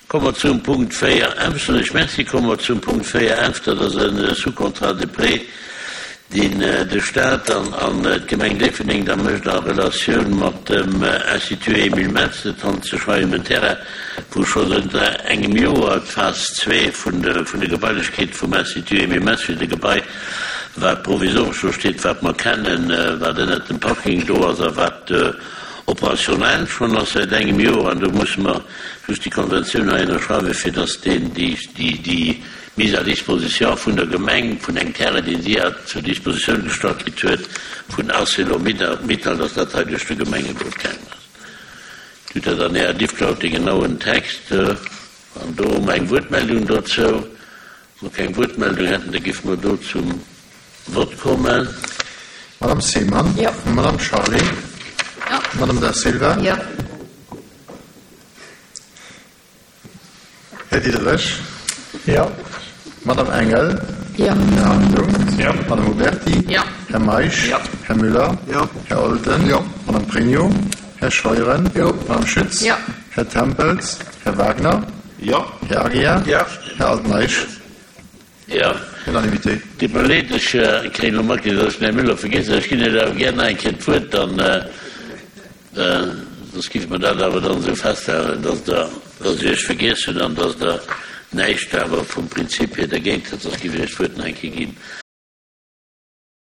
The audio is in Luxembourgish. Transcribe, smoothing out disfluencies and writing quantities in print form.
Komme mer zum Punkt 4 F. Soen ech Merci. Komme mer zum Punkt 4 F. Dat ass e Sous-contrat de prêt, deen de Stat an d'Gemeng Déifferdeng da mécht a Relatioun mat dem Institut Emile Metz. Et handelt sech hei ëm en Terrain, wou scho zënter engem Joer d'Phas zwee vun de Gebailechkeete vum Institut Emile Metz, fir de Gebai, wat provisoresch do steet, wat mer kennen, wat ënnert dem Parking do ass a wat operationell schonn ass säit engem Joer, an do musse mer just déi Konventioun hei ënnerschreiwen, fir dass deen, déi, déi, déi Mise à disposition vun der Gemeng vun engem Terrain, deen si hat zur Dispositioun gestallt kritt huet vun Arcelor-Mittal, dass dat hei duerch de Gemengerot gaangen ass. Dir hutt dat an Ärer Diffcloud, dee genauen Text. An do hu mer eng Wuertmeldung dozou. Wa mer keng Wuertmeldung hätten, da géife mer do zum Vott kommen. Madame Seemann. Jo. Madame Charlé. Jo. Madame Da Silva. Jo. Här Diderich. Jo. Madame Engel. Jo. Här Hartung. Jo. Madame Huberty. Jo. Här Meisch. Jo. Här Müller. Jo. Här Olten. Jo. Madame Pregno. Här Scheuren. Jo. Madame Schütz. Jo. Här Tempels. Här Wagner. Jo. Här Aguiar. Jo. Här Altmeisch. Jo. Unanimité. Deet mer leed, ech kréien elo matkritt, datt ech den Här Müller vergiess hunn. Ech ginn Iech awer gär nach eng Kéier d'Wuert, dann, soss géife mer dat awer dann esou festhalen, datt Der, datt ech Iech vergiess hunn an datt Der näischt awer vum Prinzip hier dergéint hutt. Soss géif ech Iech d'Wuert nach eng Kéier ginn.